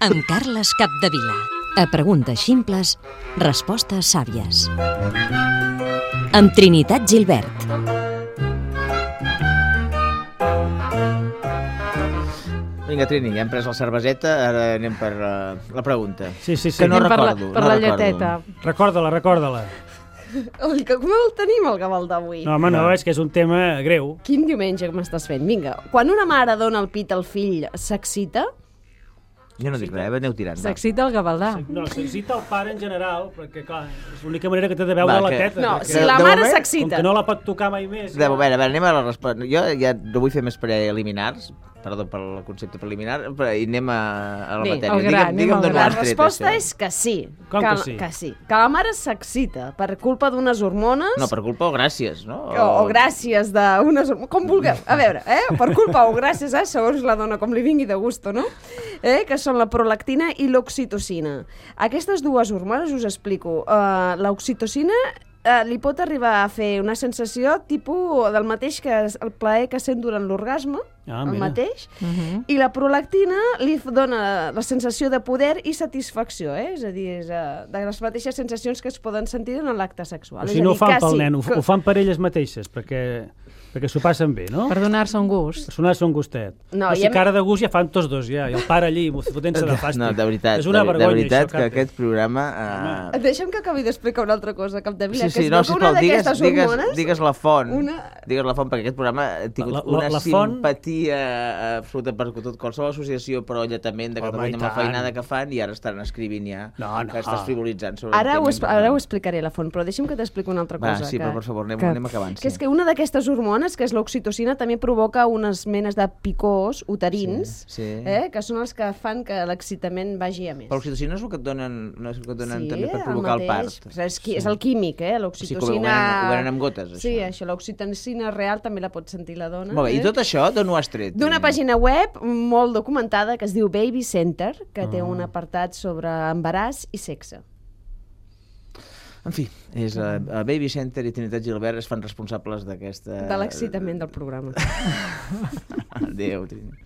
Amb Carles Capdevila. A preguntes ximples, respostes sàvies. Amb Trinitat Gilbert. Vinga, Trini, ja hem pres la cerveseta, ara anem per la pregunta. Sí. Que no recordo. Per la lleteta. Recorda-la. Oi, que com el tenim, el Gavaldà, d'avui? No, home, no, és que és un tema greu. Quin diumenge que m'estàs fent? Vinga, quan una mare dona el pit al fill, s'excita? Jo no dic res, aneu tirant. va. S'excita el Gavaldà. No, s'excita el pare en general, perquè, clar, és l'única manera que té de veure la teta. No, perquè si la de mare moment, s'excita. Com que no la pot tocar mai més. A veure, anem a la resposta. Jo ja no vull fer més preliminars, perdó per el concepte preliminar, i anem a la Bé, matèria. al gra, Digue'm d'on La ho has tret, resposta això. és que sí. Com que sí? Que sí. Que la mare s'excita per culpa d'unes hormones... No, per culpa o gràcies, no? O gràcies d'unes... Com vulgueu. A veure, per culpa o gràcies, segons la dona, com li vingui de gusto, no? Que són la prolactina i l'oxitocina. Aquestes dues hormones, us explico. L'oxitocina li pot arribar a fer una sensació tipus del mateix que el plaer que sent durant l'orgasme, el mateix, i la prolactina li dona la sensació de poder i satisfacció, és a dir, és de les mateixes sensacions que es poden sentir en l'acte sexual. O sigui, no ho fan pel nen, ho fan per elles mateixes, perquè s'ho passen bé, no? Per donar-se un gust. Per donar-se un gustet. No, o sigui, cara de gust ja fan tots dos, ja. I el pare allí, fotent-se de fàstic. No, de veritat, és una vergonya, de veritat això, que aquest programa... Deixa'm que acabi d'explicar una altra cosa, Capdevila, Sí, que no, és que una d'aquestes hormones... Digues la font, digues la font, perquè aquest programa ha tingut una simpatia absoluta per tot qualsevol associació pro-alletament de Catalunya amb la feinada que fan, i ara estan escrivint ja que estàs frivolitzant sobre Ara ho explicaré la font, però deixa'm que t'expliqui una altra cosa. Sí, però per favor, anem acabant. Que és que una d'aquestes hormones, que és l'oxitocina, també provoca unes menes de picors uterins, que són els que fan que l'excitament vagi a més. Però l'oxitocina és el que et donen també per provocar el part. És el químic, l'oxitocina... O sigui, ho venen amb gotes, això. Sí, això, l'oxitocina real també la pot sentir la dona. Molt bé, i tot això d'on ho has tret? D'una pàgina web molt documentada que es diu Baby Center, que té un apartat sobre embaràs i sexe. En fi, és Baby Center i Trinitat Gilbert es fan responsables d'aquesta... De l'excitament del programa. Adéu, Trini.